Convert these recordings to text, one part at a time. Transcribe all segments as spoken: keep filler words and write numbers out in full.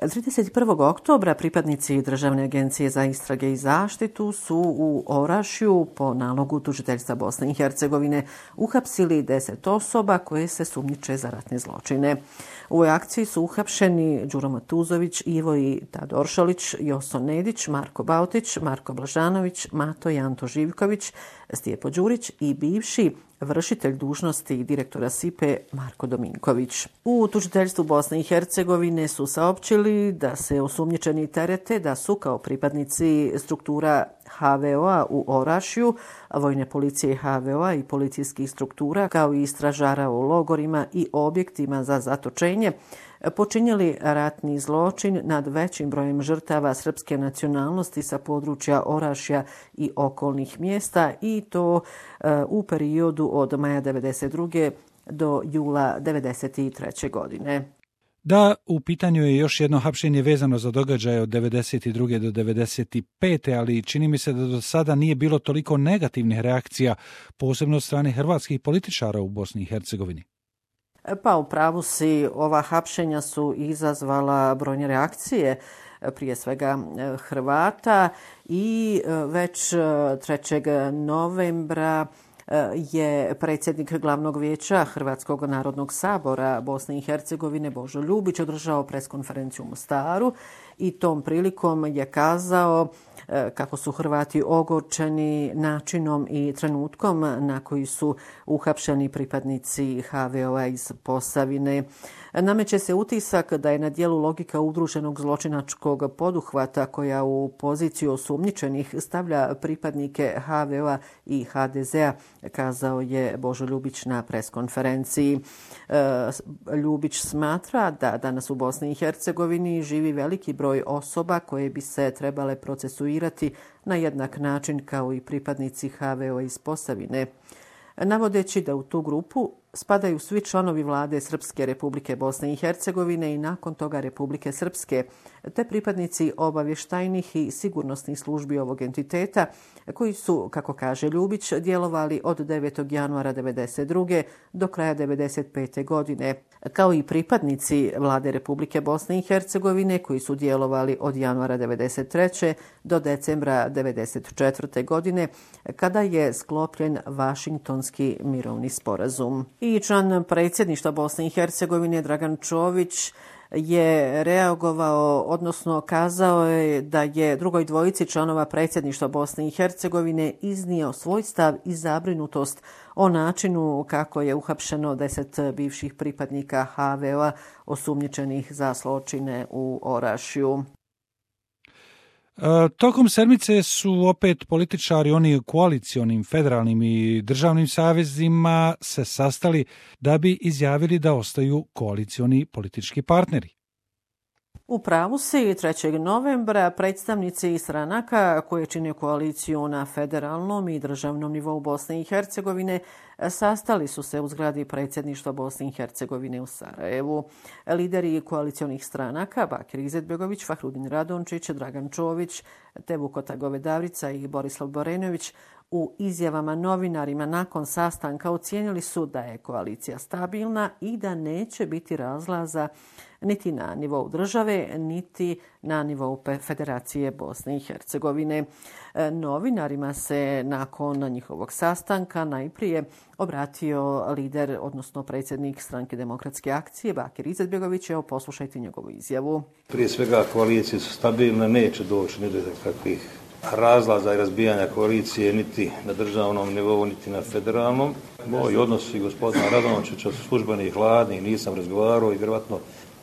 trideset prvog oktobra pripadnici Državne agencije za istrage i zaštitu su u Orašju po nalogu tužiteljstva Bosne i Hercegovine uhapsili deset osoba koje se sumnjiče za ratne zločine. U ovoj akciji su uhapšeni Đuro Matuzović, Ivo i Tad Oršolić, Joso Nedić, Marko Bautić, Marko Blažanović, Mato i Anto Živković, Stijepo Đurić i bivši vršitelj dužnosti direktora S I P E Marko Dominković. U tužiteljstvu Bosne i Hercegovine su saopćili da se osumnjičeni terete da su kao pripadnici struktura H V O-a u Orašju, vojne policije H V O-a i policijskih struktura kao i stražara u logorima i objektima za zatočenje počinjeli ratni zločin nad većim brojem žrtava srpske nacionalnosti sa područja Orašja i okolnih mjesta i to uh, u periodu od maja devedeset druge do jula devedeset treće godine. Da, u pitanju je još jedno hapšenje vezano za događaje od devedeset druge do devedeset pete ali čini mi se da do sada nije bilo toliko negativnih reakcija, posebno od strane hrvatskih političara u Bosni i Hercegovini. Pa u pravu si, ova hapšenja su izazvala brojne reakcije, prije svega Hrvata, i već trećeg novembra je predsjednik Glavnog vijeća Hrvatskog narodnog sabora Bosne i Hercegovine Božo Ljubić održao preskonferenciju u Mostaru i tom prilikom je kazao kako su Hrvati ogorčeni načinom i trenutkom na koji su uhapšeni pripadnici H V O-a iz Posavine. Nameće se utisak da je na dijelu logika udruženog zločinačkog poduhvata koja u poziciju osumnjičenih stavlja pripadnike H V O-a i H D Z-a, kazao je Božo Ljubić na preskonferenciji. Ljubić smatra da danas u Bosni i Hercegovini živi veliki broj osoba koje bi se trebale procesuirati na jednak način kao i pripadnici H V O-a iz Posavine, navodeći da u tu grupu spadaju svi članovi vlade Srpske Republike Bosne i Hercegovine i nakon toga Republike Srpske, te pripadnici obavještajnih i sigurnosnih službi ovog entiteta koji su, kako kaže Ljubić, djelovali od devetog januara devedeset druge do kraja devedeset pete godine, kao i pripadnici vlade Republike Bosne i Hercegovine koji su djelovali od januara devedeset treće do decembra devedeset četvrte godine kada je sklopljen Vašingtonski mirovni sporazum. I član predsjedništva Bosne i Hercegovine Dragan Čović je reagovao, odnosno kazao je da je drugoj dvojici članova predsjedništva Bosne i Hercegovine iznio svoj stav i zabrinutost o načinu kako je uhapšeno deset bivših pripadnika H V O-a osumnjičenih za zločine u Orašju. Tokom sedmice su opet političari, oni koalicionim, federalnim i državnim savezima se sastali da bi izjavili da ostaju koalicioni politički partneri. U pravu si, trećeg novembra predstavnici stranaka koje čine koaliciju na federalnom i državnom nivou Bosne i Hercegovine sastali su se u zgradi predsjedništva Bosne i Hercegovine u Sarajevu. Lideri koalicionih stranaka Bakir Izetbegović, Fahrudin Radončić, Dragan Čović, te Vukota Govedavrica i Borislav Borenović u izjavama novinarima nakon sastanka ocijenili su da je koalicija stabilna i da neće biti razlaza niti na nivou države, niti na nivou Federacije Bosne i Hercegovine. Novinarima se nakon njihovog sastanka najprije obratio lider, odnosno predsjednik Stranke demokratske akcije Bakir Izetbegović. Evo, poslušajte njegovu izjavu. Prije svega koalicije su stabilne, neće doći ni do kakvih razlaza i razbijanja koalicije niti na državnom nivou, niti na federalnom. Moji odnosi gospodina Radončića su službeni i hladni, nisam razgovarao i vjerojatno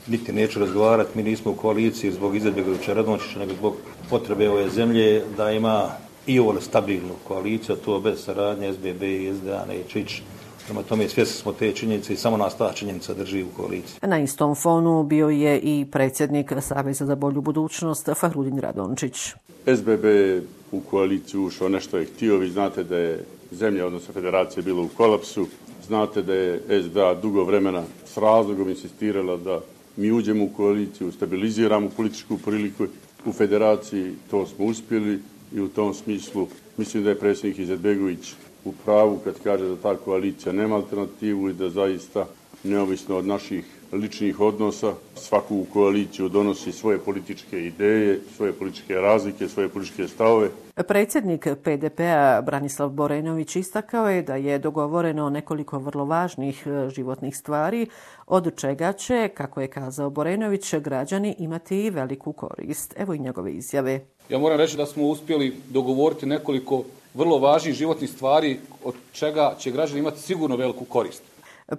niti neću razgovarati. Mi nismo u koaliciji zbog Izetbegovića Radončića, nego zbog potrebe ove zemlje da ima i ovo stabilnu koaliciju, a to bez saradnje S B B i S D A neće ići. Prema tome svjesni smo te činjenice i samo nas ta činjenica drži u koaliciji. Na istom fonu bio je i predsjednik Saveza za bolju budućnost Fahrudin Radončić. S B B u koaliciju ušao, nešto je htio. Vi znate da je zemlja, odnosno federacija, bila u kolapsu. Znate da je S D A dugo vremena s razlogom insistirala da mi uđemo u koaliciju, stabiliziramo političku priliku u federaciji. To smo uspjeli i u tom smislu mislim da je predsjednik Izetbegović u pravu kad kaže da ta koalicija nema alternativu i da zaista neovisno od naših ličnih odnosa. Svaku koaliciju donosi svoje političke ideje, svoje političke razlike, svoje političke stavove. Predsjednik P D P-a Branislav Borenović istakao je da je dogovoreno nekoliko vrlo važnih životnih stvari, od čega će, kako je kazao Borenović, građani imati veliku korist. Evo i njegove izjave. Ja moram reći da smo uspjeli dogovoriti nekoliko vrlo važnih životnih stvari, od čega će građani imati sigurno veliku korist.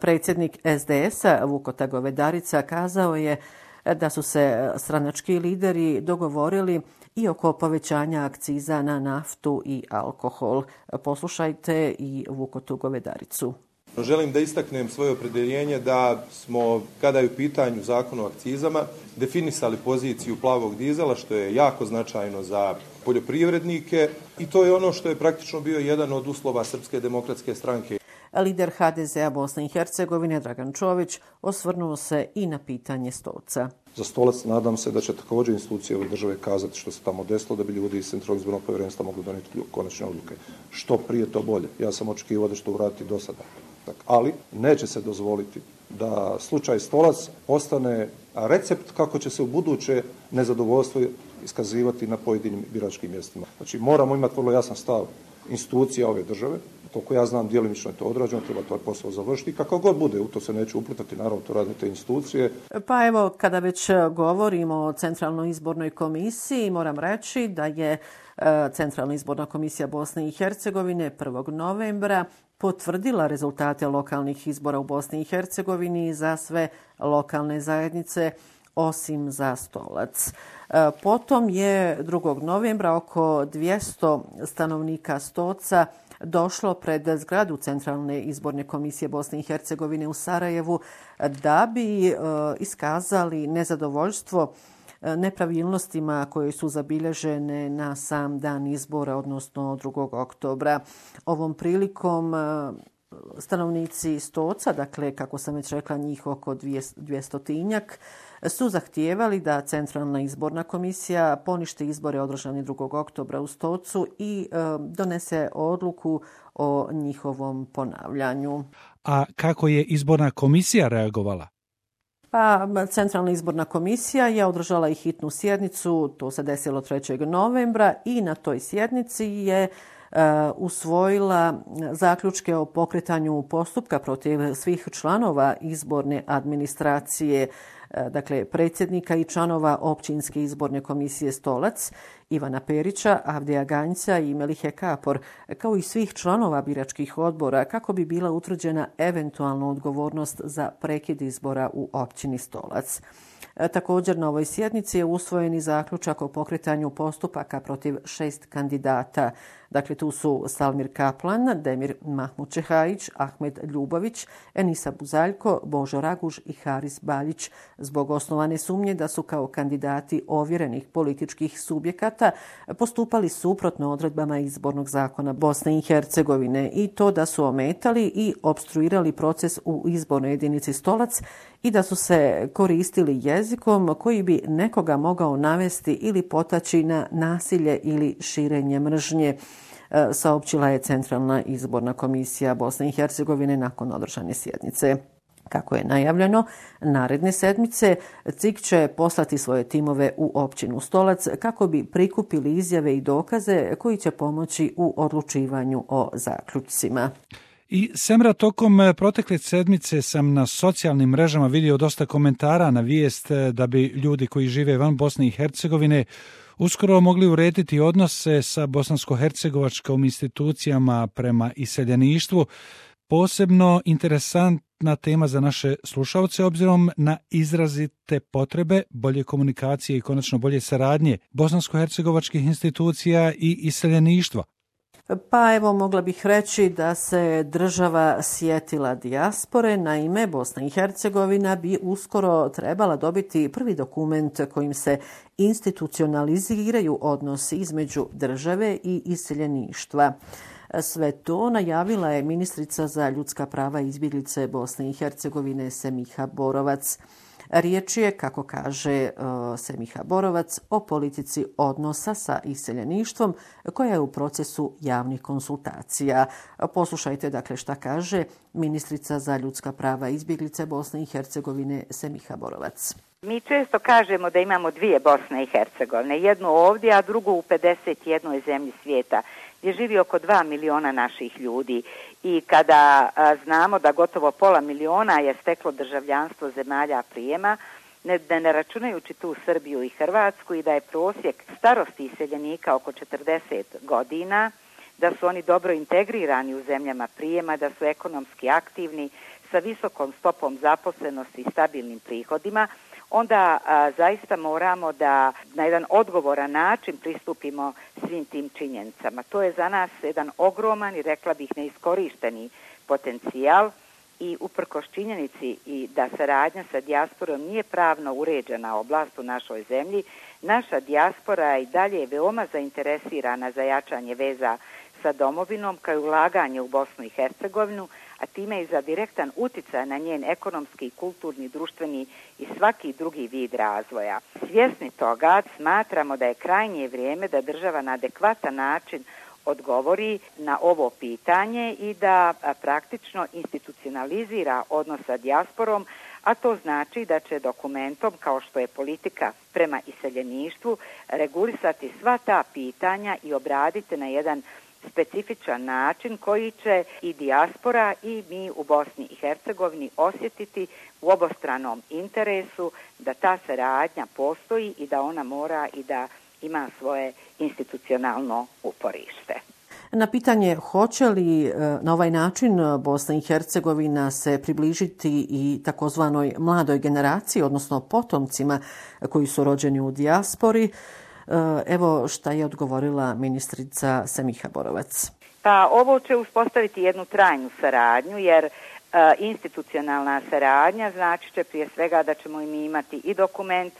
Predsjednik S D S-a Vukota Govedarica kazao je da su se stranački lideri dogovorili i oko povećanja akciza na naftu i alkohol. Poslušajte i Vukotu Govedaricu. Želim da istaknem svoje opredjeljenje da smo, kada je u pitanju zakon o akcizama, definisali poziciju plavog dizela, što je jako značajno za poljoprivrednike i to je ono što je praktično bio jedan od uslova Srpske demokratske stranke. Lider H D Z-a Bosne i Hercegovine Dragan Čović osvrnuo se i na pitanje Stolca. Za Stolac nadam se da će također institucije ove države kazati što se tamo desilo, da bi ljudi iz Centralnog izbornog povjerenstva mogli donijeti konačne odluke. Što prije to bolje. Ja sam očekivao da će to uraditi do sada. Ali neće se dozvoliti da slučaj Stolac ostane recept kako će se u buduće nezadovoljstvo iskazivati na pojedinim biračkim mjestima. Znači moramo imati vrlo jasan stav institucija ove države. Koliko ja znam, djelimično je to odrađeno, treba to posao završiti. Kako god bude, u to se neće uplitati, naravno to rade te institucije. Pa evo, kada već govorimo o Centralnoj izbornoj komisiji, moram reći da je Centralna izborna komisija Bosne i Hercegovine prvog novembra potvrdila rezultate lokalnih izbora u Bosni i Hercegovini za sve lokalne zajednice, osim za Stolac. Potom je drugog novembra oko dvjesto stanovnika Stoca došlo pred zgradu Centralne izborne komisije Bosne i Hercegovine u Sarajevu da bi iskazali nezadovoljstvo nepravilnostima koje su zabilježene na sam dan izbora, odnosno drugog oktobra. Ovom prilikom stanovnici Stoca, dakle, kako sam već rekla, njih oko dvjestotinjak, su zahtijevali da Centralna izborna komisija poništi izbore održani drugog oktobra u Stocu i e, donese odluku o njihovom ponavljanju. A kako je izborna komisija reagovala? Pa, Centralna izborna komisija je održala i hitnu sjednicu, to se desilo trećeg novembra i na toj sjednici je Uh, usvojila zaključke o pokretanju postupka protiv svih članova izborne administracije, uh, dakle predsjednika i članova općinske izborne komisije Stolac, Ivana Perića, Avdija Ganjca i Melihe Kapor, kao i svih članova biračkih odbora, kako bi bila utvrđena eventualna odgovornost za prekid izbora u općini Stolac. Također na ovoj sjednici je usvojen i zaključak o pokretanju postupaka protiv šest kandidata. Dakle, tu su Salmir Kaplan, Demir Mahmud Čehajić, Ahmed Ljubović, Enisa Buzaljko, Božo Raguž i Haris Baljić zbog osnovane sumnje da su kao kandidati ovjerenih političkih subjekata postupali suprotno odredbama izbornog zakona Bosne i Hercegovine i to da su ometali i opstruirali proces u izbornoj jedinici Stolac i da su se koristili jezikom koji bi nekoga mogao navesti ili potaći na nasilje ili širenje mržnje, saopćila je Centralna izborna komisija Bosne i Hercegovine nakon održane sjednice. Kako je najavljeno, naredne sedmice C I K će poslati svoje timove u općinu Stolac kako bi prikupili izjave i dokaze koji će pomoći u odlučivanju o zaključcima. I Semra, tokom protekle sedmice sam na socijalnim mrežama vidio dosta komentara na vijest da bi ljudi koji žive van Bosne i Hercegovine uskoro mogli urediti odnose sa bosansko-hercegovačkim institucijama prema iseljeništvu. Posebno interesantna tema za naše slušalce obzirom na izrazite potrebe bolje komunikacije i konačno bolje saradnje bosansko-hercegovačkih institucija i iseljeništva. Pa evo, mogla bih reći da se država sjetila dijaspore. Naime, Bosna i Hercegovina bi uskoro trebala dobiti prvi dokument kojim se institucionaliziraju odnosi između države i iseljeništva. Sve to najavila je ministrica za ljudska prava i izbjeglice Bosne i Hercegovine Semiha Borovac. Riječ je, kako kaže Semiha Borovac, o politici odnosa sa iseljeništvom koja je u procesu javnih konsultacija. Poslušajte dakle šta kaže ministrica za ljudska prava i izbjeglice Bosne i Hercegovine Semiha Borovac. Mi često kažemo da imamo dvije Bosne i Hercegovine, jednu ovdje, a drugu u pedeset jednoj zemlji svijeta, gdje živi oko dva miliona naših ljudi. I kada a, znamo da gotovo pola miliona je steklo državljanstvo zemalja prijema, ne, ne računajući tu Srbiju i Hrvatsku, i da je prosjek starosti iseljenika oko četrdeset godina, da su oni dobro integrirani u zemljama prijema, da su ekonomski aktivni, sa visokom stopom zaposlenosti i stabilnim prihodima, onda a, zaista moramo da na jedan odgovoran način pristupimo svim tim činjenicama. To je za nas jedan ogroman i rekla bih neiskorišteni potencijal i uprkos činjenici i da saradnja sa dijasporom nije pravno uređena oblast u našoj zemlji, naša dijaspora i dalje je veoma zainteresirana za jačanje veza sa domovinom kao i ulaganje u Bosnu i Hercegovinu, a time i za direktan uticaj na njen ekonomski, kulturni, društveni i svaki drugi vid razvoja. Svjesni toga smatramo da je krajnje vrijeme da država na adekvatan način odgovori na ovo pitanje i da a, praktično institucionalizira odnos sa dijasporom, a to znači da će dokumentom, kao što je politika prema iseljeništvu, regulisati sva ta pitanja i obraditi na jedan specifičan način koji će i dijaspora i mi u Bosni i Hercegovini osjetiti u obostranom interesu da ta saradnja postoji i da ona mora i da ima svoje institucionalno uporište. Na pitanje hoće li na ovaj način Bosna i Hercegovina se približiti i takozvanoj mladoj generaciji, odnosno potomcima koji su rođeni u dijaspori, evo šta je odgovorila ministrica Semiha Borovac. Pa ovo će uspostaviti jednu trajnu saradnju, jer e, institucionalna saradnja znači će prije svega da ćemo i mi imati i dokument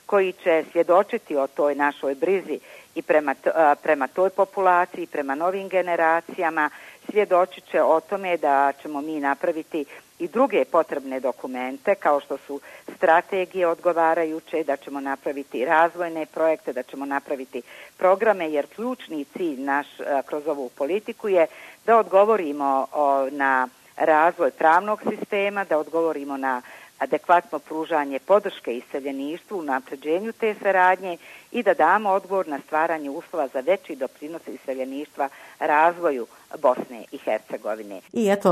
koji će svjedočiti o toj našoj brizi i prema, t, a, prema toj populaciji, prema novim generacijama, svjedočit će o tome da ćemo mi napraviti i druge potrebne dokumente, kao što su strategije odgovarajuće, da ćemo napraviti razvojne projekte, da ćemo napraviti programe, jer ključni cilj naš a, kroz ovu politiku je da odgovorimo o, na razvoj pravnog sistema, da odgovorimo na adekvatno pružanje podrške iseljeništvu, u napređenju te saradnje i da damo odgovor na stvaranje uslova za veći doprinos iseljeništva razvoju Bosne i Hercegovine. I eto,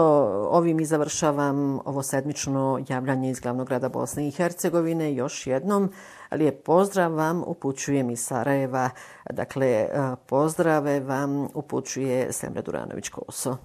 ovim i završavam ovo sedmično javljanje iz glavnog grada Bosne i Hercegovine. Još jednom lijep pozdrav vam upućujem iz Sarajeva. Dakle, pozdrave vam upućuje Semra Duranović-Koso.